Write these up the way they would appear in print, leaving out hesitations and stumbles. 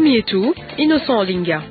Ngumu yetu Innocent Olinga.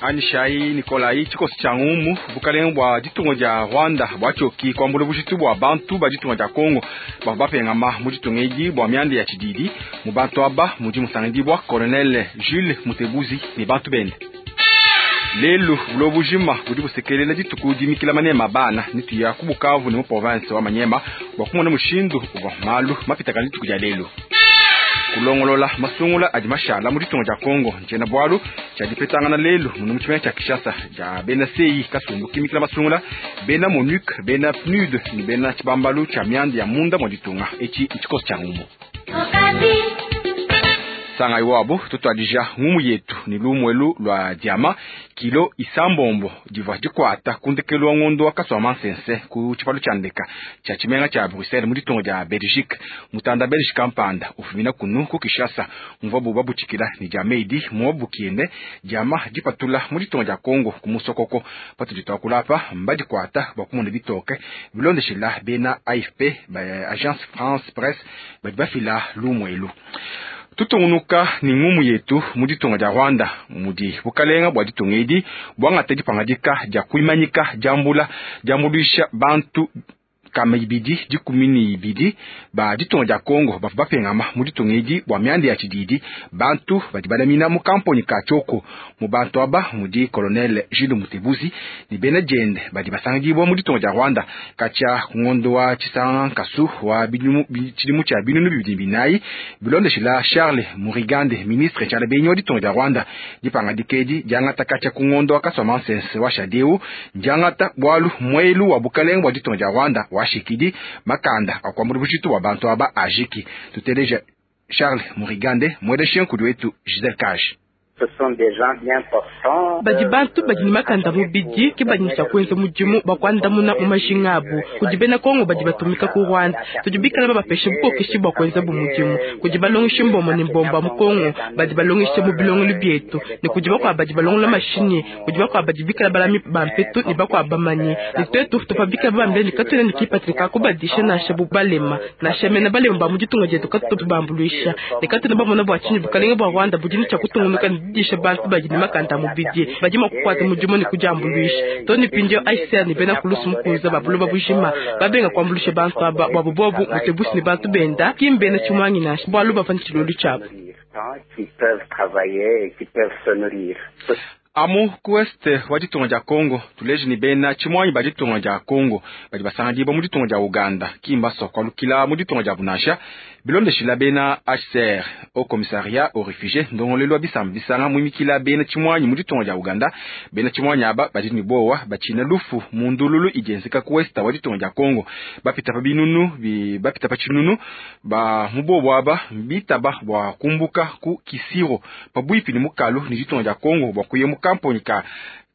Anyishayi Nikolayi tshikoso tshia ngumu bukalenge bua ditunga dia Rwanda buatshioki kuambula bujitu bua bantu ba ditunga dia Congo bavua bapengama mu ditunga edi bua mianda ya tshididi. Mu bantu aba mudi musangidibua Colonel Jules Mutebuzi ne bantu bende. Lelu buloba bujima budi busekelela dituku dimikila manema a bana ne tuya ku Bukavu ne mu province wa Maniema bua kumona mushindu uvua malu mapitakana dituku dia lelu. Kulongolola masungula adi mashala mu ditunga dia Congo ntshiena bualu tshia dipetangana lelu munu mu tshimenga tshia Kinshasa dia bena CEI kasumbu kimikila masungula, bena MONUC, bena PNUD ne bena tshibambalu tshia mianda ya munda mua ditunga. Etshi ntshikoso tshia ngumu. Sangayi wabu tutuadija ngumu yetu ne lumu elu lua diama kilo isambombo divua dikuata ku ndekelu wa ngondo wa Kasuamansense ku tshipalu tshia ndeka tshia tshimenga tshia Bruxelles mu ditunga dia Belgique. Mutanda Belge kampanda ufumina kunu ku Kinshasa muvuabu babutshikila ne diama edi muabukiende diama dipatula mu ditunga dia Congo ku musokoko. Patudi tuakula apa mbadikuata bua kumona bitoke bilondeshila bena AFP ba Agence France Presse badi bafila lumu elu. Tutungunuka ne ngumu yetu mu ditunga dia Rwanda mudi bukalenga bua ditunga edi buangata dipangadika dia kuimanyika diambula diambuluisha bantu nkama ibidi dikumi ne ibidi ba ditunga dia Congo bavua bapengama mu ditunga edi bua mianda ya tshididi. Bantu badi balamina mu kamponyi ka Tshioko. Mu bantu aba mudi Colonel Jules Mutebuzi ne bena diende badi basangidibua mu ditunga dia Rwanda katshia ku ngondo wa Tshisanga nkasu wa tshidimu tshia 2004, bilondeshila Charles Murigande, ministre tshialabenyi wa ditunga dia Rwanda. Dipangadika edi diangata katshia ku ngondo wa Kasuamansense wa shadeu ndiangata bualu muelu wa bukalenge bua ditunga dia Rwanda washikidi makanda akuambula bujitu bua bantu aba ajiki. Tuteleja Charles Murigande, mueleshe nkudi wetu Giselle Cage. Badi bantu badi ne makanda mubidi ke badi ne tshia kuenza mudimu bua kuandamuna mu majinga abu. Kudi bena Kongo badi batumika ku Rwanda, tudi bikala babapeshe bukokeshi bua kuenza bu mudimu. Kudi balongeshi mbombo ne mbombo mu Kongo badi balongesha mu bilongelu bietu, ne kudi bakuabu badi balongola mashinyi, kudi bakuabu badi bikala balami ba mpetu ne bakuabu bamanyi. Ne tuetu tuvua bikala babambila ne katuena ne kipatshila ka kubadisha nansha bu balema, nansha mena balema ba mu ditunga dietu katutu tubambuluisha, ne katuena bamona bua tshinyi bukalenge bua Rwanda budi ne tshia kutungunuka ne didisha bantu badi ne makanda a mubidi badi mua kukuata mudimu ne kudiambuluisha. Too ne mpindieu HCR ne bena kulusu mukunza ba buloba bujima babenga kuambuluisha bantu aba buabu bobu Mutebusi ne bantu benda ki mbena tshimuangi nansha, bualu bavua ne tshilulu tshiabu. Amu ku est wa ditunga dia Congo, tuleje ne bena tshimuangi ba ditunga dia Congo badi basangidibua mu ditunga dia Uganda ki mbasua kualukila mu ditunga diabu nansha. Bilondeshila bena HCR, Haut Commissariat aux Refugies, ndongoluelu wa bisamba bisanga muimikila bena tshimuangi mu ditunga dia Uganda. Bena tshimuangi aba badi ne buowa batshina lufu mu ndululu idi yenzeka ku est wa ditunga dia Congo. Bapita pa binunu bapita pa tshinunu ba mu bobu aba bitaba bua kumbuka ku Kisiro pabuipi ne mukalu ne ditunga dia Congo bua kuya mu kamponyi ka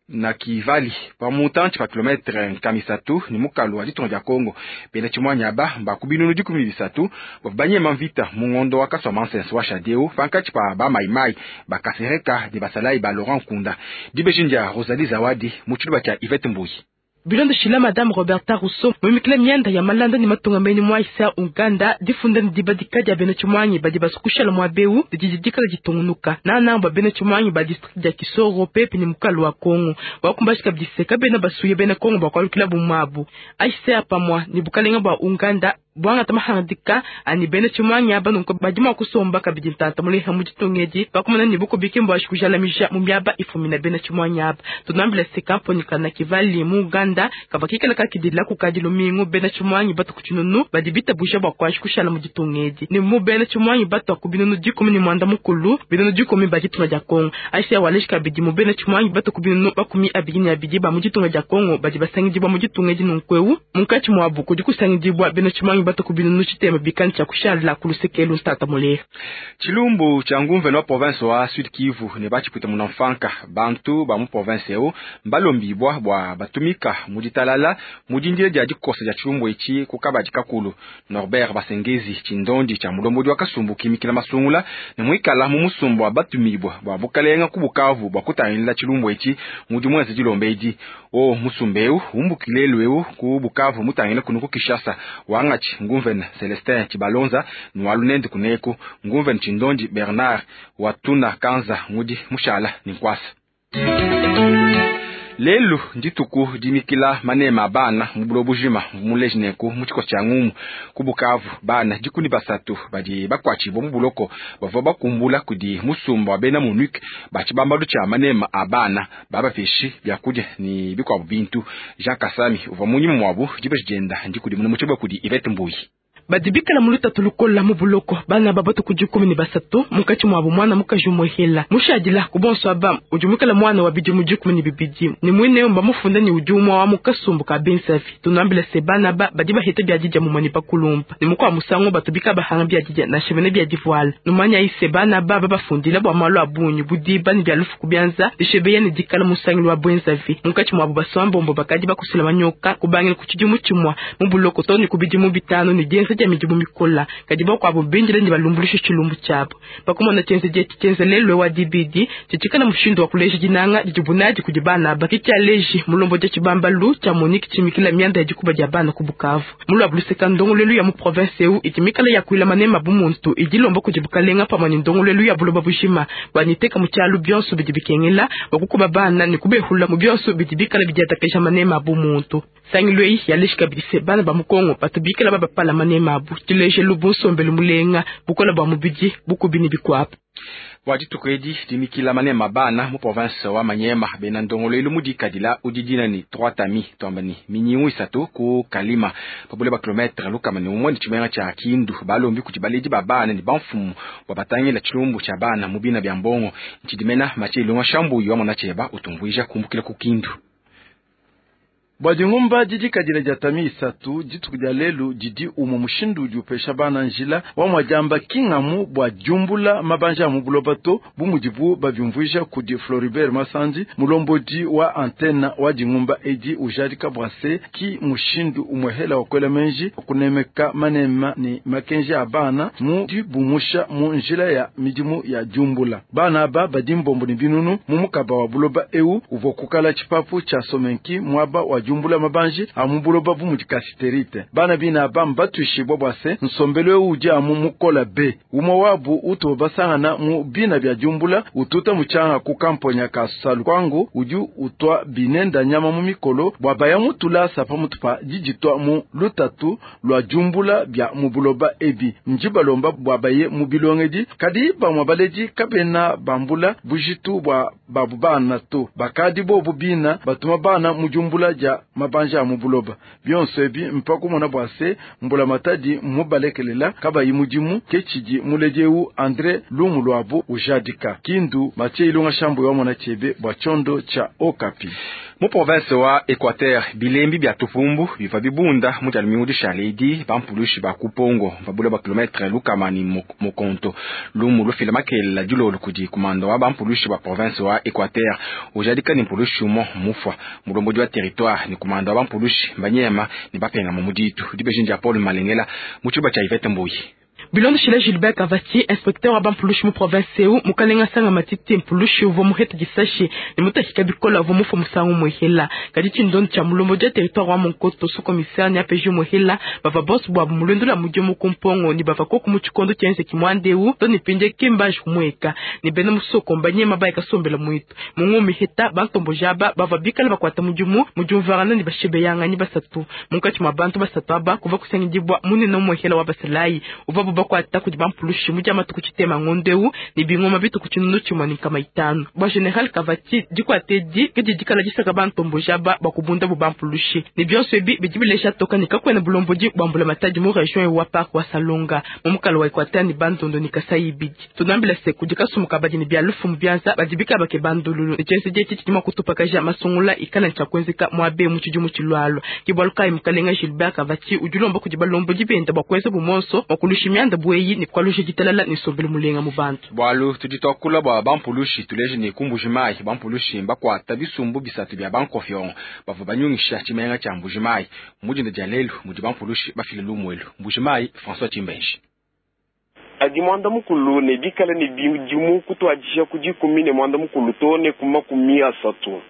Nakivali pa mutantshi pa kilometre 300 ne mukalu wa ditunga dia Congo. Bena tshimuangi aba mba ku binunu 13 bavua banyema mvita mu ngondo wa Kasuamansense wa shadeu pankatshi pa ba Maimai ba Kasereka ne basalayi ba Laurent Nkunda. Dibeji ndia Rosalie Zawadi mu tshiluba tshia Yvette Mbuyi. Bilondeshila Madame Roberta Rousseau muimikila mianda ya malanda ne matunga menyi mu HCR Uganda, difunda ne dibadika dia bena tshimuangi badi basue kushala muaba eu didi dikala ditungunuka nangananga bua bena tshimuangi ba district dia Kisoro pepi ne mukalu wa Congo. Wakumbaji kabidi se kabena basuye bena Congo bua kualukilabu muabu. HCR pamua ne bukalenga bua Uganda buangata mahangadika ani bena tshimuangi aba nunku badi mua kusomba kabidi ntanta muleha mu ditunga edi pakumona ne bukubi mbuashi kujalamija mu miaba ifumina bena tshimuangi aba. Tunuambila se kamponyi ka Nakivali mu Uganda kavua kikala kakidila kukadi lumingu bena tshimuangi batu ku tshinunu badi bitabuja bua kuanji kushala mu ditunga edi ne mu bena tshimuangi batua ku binunu 18 binunu 10 ba ditunga dia Congo. HCR waleji kabidi mu bena tshimuangi batu ku binunu 22 ba mu ditunga dia Congo badi basangidibua mu ditunga edi nunku eu munkatshi muabu kudi kusangidibua bena tshimuangi batu ku binunu tshitema bikani tshia kushala ku luseke ntata muleha. Tshilumbu tshia ngumvene wa province wa Sud Kivu ne batshipwita munamfanka bantu ba mu province eu mbalombibwa bua batumika mu ditalala mu dindila dia dikosa dia tshilumbu etshi ku kabadi kakulu. Norbert Basengezi tshindondi tshia mulombodi wa kasumbu kimikila masungula ne muikala mu musumba wa batumibwa bua bukalenga ku Bukavu bua kutangila tshilumbu etshi mudi muenze dilomba edi. Wo musumba eu umbukile lelu eu ku Bukavu mutangile kunu ku Kinshasa. Wangatshi nguvena Celestin Tshibalonza ne wa lunende kuneku nguvena Tshindondi Bernard Watuna Kanza ngudi mushala ne nkuasa. Lelu ndituku dimikila manema a bana mu buloba bujima muleji nenku mu tshikoso tshia ngumu ku Bukavu bana 13 badi bakuatshibua mu buloko bavua bakumbula kudi musumba wa bena MONUC ba tshibambalu tshia manema a bana babapeshi biakudia ne bikuabu bintu. Jean Kasami uvua munyima muabu dibeji dienda ndikudimuna mu tshiba kudi Yvette Mbuyi. Badi bikala mu lutatu lukola mu buloko bana babatu ku 13 munkatshi muabu mwana mukaji umuhela mushadila ku bonso aba udi muikala mwana wa bidimu 12 ne mwine bamufunda ne udi umwa wa mukasumbu ka bensavi. Tunambila se bana ba badi baheta biadidia mumani bakulumpa ne mukwa musango batu bika bahanga biadidia na shemene biadivuala numanya ise bana ba babafundila bwa malu abunyi budiba ne bia lufu kubianza dishebeya ne dikala musangilu wa bwenzavi munkatshi muabu basambombo bakadi bakusula manyoka kubangila ku tshidimu tshimua mu buloko to ne ku bidimu 5 ne dienza dia midimu mikola kadi bakuabu bindile ne balumbulusha tshilumbu tshiabu bakumona tshienze dieti tshienze lelu wa dibidi tshitshikala mushindu wa kuleja dinanga didi kudi bana bakitshia leji mulombo dia tshibambalu tshia Monique tshimikila mianda ya dikuba dia bana ku Bukavu mulwa buluseka ndongolelu ya mu province eu itimikala ya kuila manema bumuntu idilomba kudi bukalenga pamwe ne ndongolelu ya buloba bujima baniteka mu tshialu bionso bidi bikengela bakukuba bana ne kubehula mu bionso bidi bikala bidiatakesha manema bumuntu sangilwe yaleshika bidise bana ba mukongo batubikala babapala manema abu tilejelu bunsombelu mulenga bukola bwa mubidi bukubini bikwapa. Bua dituku edi dimikila manema bana mu province wa Manyema bena ndongolelu mudikadila udidina ni 3 tami twamba ni minyingu isatu ku Kalima pabule ba kilometre lukama ni umwe ni tshimenga tshia Kindu balombi kuti baledi ba bana ni bamfumu bwa batangila tshilumbu tshia bana mu bina bya mbongo ntshidimena matshilunga shambu wa mona tsheba utumvuija kumbukila ku Kindu. Bua dingumba didikadila dia tami isatu dituku dia lelu didi umwe mushindu udi upesha bana njila wa mwadiamba kingamu bua diumbula mabanja a mu buloba to bu mudibu babiumvuija kudi Floribert Masandi mulombodi wa antena wa dingumba edi ujadika bwase ki mushindu umwehela wa kwela menji kunemeka manema ni makenji a bana mu dibumusha mu njila ya midimu ya diumbula bana aba badi mbombo ni binunu mu mukaba wa buloba eu uvua kukala tshipapu tshia somenki mwaba wa diumbula mabanji amu buloba bu mudi kasiterite bana bina aba mbatuishibwa bwase nsombelo eu udi amu mukola be umwe wabu utu basangana mu bina bya diumbula ututa muchanga ku kamponya ka salu kwangu udi utwa binenda nyama mu mikolo bwa baya mutula sapa mutupa diditwa mu lutatu lwa diumbula bya mu buloba ebi nji balomba bwa baye mu bilongedi kadi bamwa baledi kabena bambula bujitu bwa babu bana to bakadi bobu bina batuma bana mu diumbula dia mabanja a mu buloba bionso ebi mpaka mona bwase mbula matadi mubalekelela kabayi mudimu ke tshidi muledi eu André Lumu lwabu ujadika Kindu matie ilunga shambu wa mona chebe bwa chondo cha Okapi. Mu province wa Equateur bilembi bya tupumbu biva bibunda mu dia lumingu dishaledi bampulushi ba kupongo babula ba kilometre lukama ni mukonto lumu lufila makelela dilolo kudi kumanda wa bampulushi ba province wa Equateur ujadika ni mpulushi umo mufwa mulombodi wa territoire ni kumanda wa bampulushi banyema ni bapenga mu muditu dibejinja Paul Malengela mu tshiba tshia Yvette Mbuyi. Bilondo shila Gilbert Kavati, inspecteur wa bampulushi mu province eu mukalenga sanga matiti mpulushi uvua muheta disashi ne mutahika bikola uvua mufa musangu muhela kadi tshindondo tshia mulombo dia territoire wa Monkoto sous commissaire ne APG muhela bava bonso bwabu mulwendo lwa mudimu ku mpongo ni bava koku mu tshikondo tshienzeki mwandeu to ne pindie kimbaji kumueka ne bena musoko mbanyema bayeka sombela mwitu mungu miheta bantombo jaba bava bikala bakwata mudimu mudiumvarana ne bashebeyanga basatu munkatshi mwa bantu basatu aba kuva kusangidibwa munene muhela wa basalayi uvua bakwata kudi bampulushi mu dia matuku tshitema ngondeu ne bingoma bituku tshinunu tshimue ne nkama itanu bua general Kavati dikwate di ke didikala disaka bantombo jaba bakubunda bu bampulushi ne bionso ebi bidi bilesha toka ne kakwena bulombodi bwambula matadi mu region wa park wa Salonga mu mukalo wa Equateur ne bandondo ne Kasai ibidi tunambila se kudi kasumuka badi ne bia lufu mu bianza badi bika bake bandululu ne tshienze dietshi tshidi mua kutupakaja masungula ikala ntshia kuenzeka muabe mu tshidimu tshilwalwa ke bualu kayi mukalenga Gilbert Kavati udi ulomba kudi balombodi benda bua kuenza bumonso bua kulushi mianda bweyi ni kwalusha ditalala ni sombele mulenga mu bantu. Bwalu tudi twakula bwa bampulushi tuleje ni kumbujimayi bampulushi mbakwata bisumbu bisatu bya bankofyon bavua banyungisha tshimenga tshia Mbujimayi mudinda dia lelu mudi bampulushi bafile lumwelu Mbujimayi François Chimbenji. Adi mwanda mukulu ne bikala ne bidimu kutwadisha ku dikumi ne mwanda mukulu to ne ku 30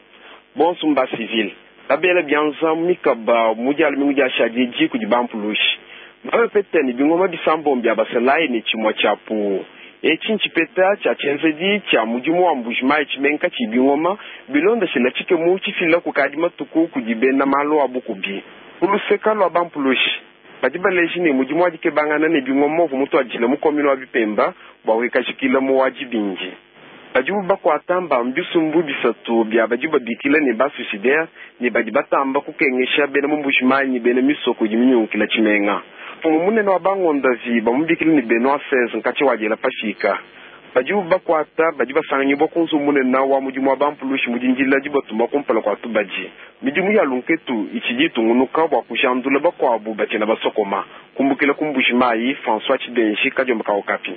bonso mba civil. Babela bianza mu mikaba mu dia lumingu diashadi edi kudi bampulushi. Mbabapete ne bingoma bisambombo bia basalayi ne tshimue tshia puwu. Etshi ntshipeta tshia tshienzedi tshia mudimu wa Mbuji-Mayi tshimenga katshiyi bingoma, bilondeshila tshikemu tshifila kukadi matuku kudi bena malu a bukubi. Ku luseka lua bampulushi, badi baleja ne, mudimu wa dikebangana ne bingoma uvua mutuadijile mu commune wa Bipemba bua kuikajikila mu wa Dibindi. Badibu bakuata mba mu bisumbu bisatu bia badibu babikila ne, ba-suicidaires ne badi batamba kukengesha bena mu Mbuji-Mayi ne bena misoko idi minyungukila tshimenga. Mfumu munene wa bangondavi bamubikila ne, Benoit 16 nkatshia wadiela pafika. Badibu bakuata badi basanganyibua ku nzubu munene wa mudimu wa bampulushi mu dindila dibatuma kumpala kua tubadi. Midimu ya lunketu itshidi itungunuka bua kujandula bakuabu batshiena basokoma. Kumbukila ku Mbuji-Mayi, François Tshibenji, kadiomba ka Okapi.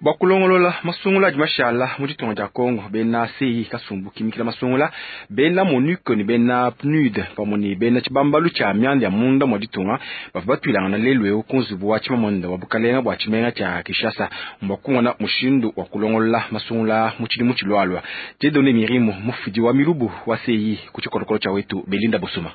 Bua kulongolola masungula adi mashala mu ditunga dia Congo, bena CI kasumbu kimikila masungula, bena MONUC ne bena PNUD pamue ne bena tshibambalu tshia mianda ya munda mua ditunga bavua batuilangana lelu eu ku nzubu wa tshimamunda wa bukalenga bua tshimenga tshia Kinshasa bua kumona mushindu wa kulongolola masungula mu tshidimu tshilualua. Dieudonne Mirimo, mufidi wa milubu wa CI ku tshikolokolo tshia wetu Belinda Bosuma.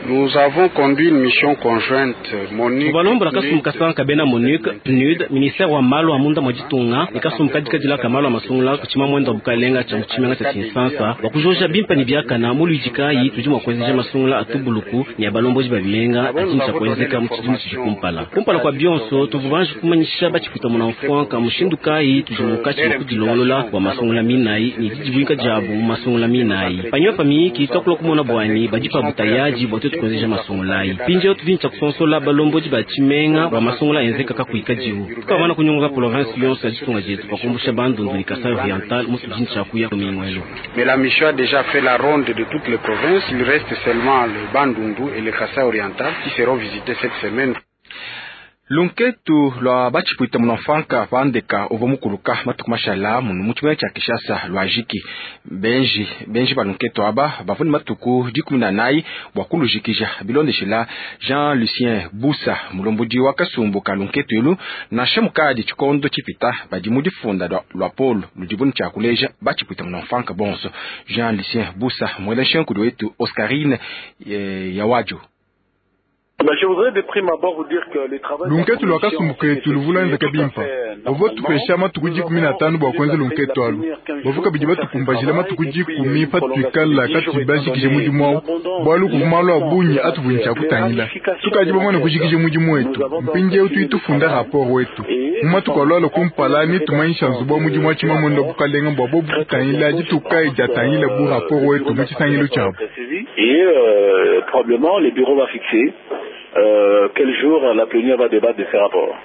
Nous avons conduit une mission conjointe MONUC. Balombola kasumbu kasanka bena MONUC, PNUD, ministère wa malu a munda mua ditunga ne kasumbu kadikadila ka malu a masungula ku tshimamwenda wa bukalenga tshia mu tshimenga tshia Tshinsansa bua kujoja bimpe ne biakana mu luidi kayi tudi mua kuenzeja masungula a tubuluku ne a balombodi ba bimenga adi ne tshia kuenzeka mu tshidimu tshidi kumpala. Kumpala kua bionso tuvua banji kumanyisha batshipuita munamfuanka mushindu kayi tudi munkatshi mua kudilongolola bua masungula minayi ne didibuika diabu mu masungula minayi. Panyima pa miyiki tuakula kumona buanyi badi pa butayaji bua tuetu kuenzeja masungulayi. Mpindieu tudi ne tshia kusonsola balombodi ba tshimenga bua masungula enzeka kakuikadiwu. Tukamana kunyunguka province yonso ya ditunga dietu pa kumbusha Bandundu ne Kasai Oriental mu tudi ne tshia kuya lumingu elu. Mais la mission a déjà fait la ronde de toutes les provinces. Il reste seulement le Bandundu et le Kasai Oriental qui seront visités cette semaine. Lunketu lua batshipuita munamfanka pandeka uvua mukuluka matuku mashala munu mu tshimenga tshia Kinshasa lua jiki. Benji benji ba lunketu aba bavua ne matuku 14 bua kulujikija bilondeshila Jean Lucien Busa mulombodi wa kasumbu ka lunketu elu nansha mukadi tshikondo tshipita badi mu difunda lua polo ludibu ne tshia kuleja batshipuita munamfanka bonso. Jean Lucien Busa muela nshenkudi wetu Oscarine Yawajo. Lunketu lua kasumbu ketu luvua luenzeka bimpe. Bavua batupesha matuku 15 bua kuenza lunketu alu. Bavua kabidi batukumbajila matuku 10 patuikala katuyi bajikije mudimu awu, bualu kuvua malu a bungi atuvua ne tshia kutangila. Tukadi bamane kujikija mudimu wetu, mpindieu tudi tufunda rapport wetu. Mu matuku alualua kumpala netumanyisha nzubu wa mudimu wa tshimamunda wa bukalenga bua bobu kutangila dituku kayi diatangila bu rapport wetu mu tshisangilu tshiabu. Quel jour la plénière va débattre de ces rapports.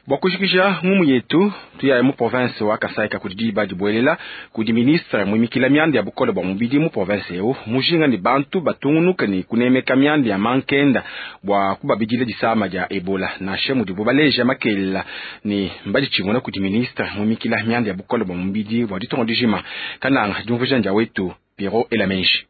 Bua kujikija ngumu yetu tuyaye mu province wa Kasai kudi diba dibuelela kudi ministre muimikila mianda ya bukole bua mubidi mu province eu mujinga ne bantu batungunuka ne kunemeka mianda ya mankenda bua kubabidila disama dia Ebola nansha mudibu baleja makelela ne mbaditshimuna kudi ministre muimikila mianda ya bukole bua mubidi bua ditunga dijima. Kananga diumvuija ndia wetu Pierrot Elamenji.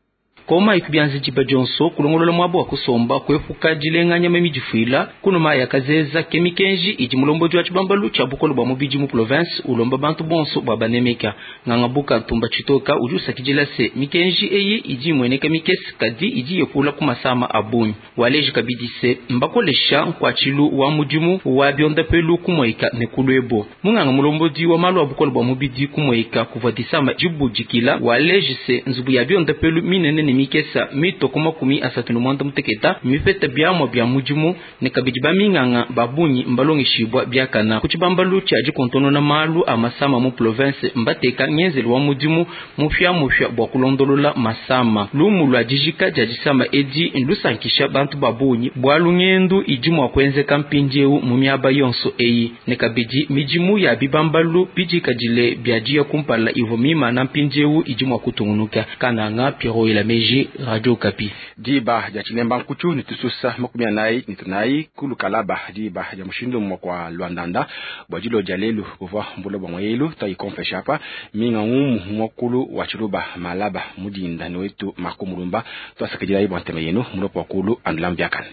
Koma ikubianza diba dionso kulongolola mwabo wa kusomba kuepuka dilenganya mamidifuila kunuma ya kazeza kemikenji idi mulombodi wa tshibambalu tshia bukole bua mubidi mu province ulomba bantu bonso bua banemeka ngangabuka ntumba tshitoka udi usakidila se mikenji eyi idi imueneka mikese kadi idi yepula ku masama a bungi waleji kabidi se mbakolesha nkuatshilu wa mudimu wa biondapelu kumweka ne kulwebo munganga mulombodi wa malu a bukole bua mubidi kumweka kuvua disama dibudikila waleji se nzubu ya biondapelu minene ne mikesa mitoko 38 mipeta biamwa bia mudimu ne kabidi baminganga babunyi mbalongeshibwa biakana ku tshibambalu tshia dikontonona malu a masama mu province mbateka ngenzelu wa mudimu mupya bua kulondolola masama lumu lua dijika dia disama edi nlusankisha bantu babunyi bualu ngendu idi mua kuenzeka mpindieu mu miaba yonso eyi ne kabidi midimu ya bibambalu bidikadile bia diya kumpala ivo mimana mpindieu idi mua kutungunuka. Kananga Pierrot Elameji, Radio Okapi. Diba dia chilemba nkuchu ni tususa 43 kulukalaba diba dia mushindu mwa kwa Luandanda bwa dilo dia lelu kuvwa mbulo bwa mwelu ta ikonfesha hapa minga ngumu mwakulu wa chiluba malaba mudinda ni wetu makumulumba twasakidila ibwa nteme yenu mulopo wakulu andulambiakane.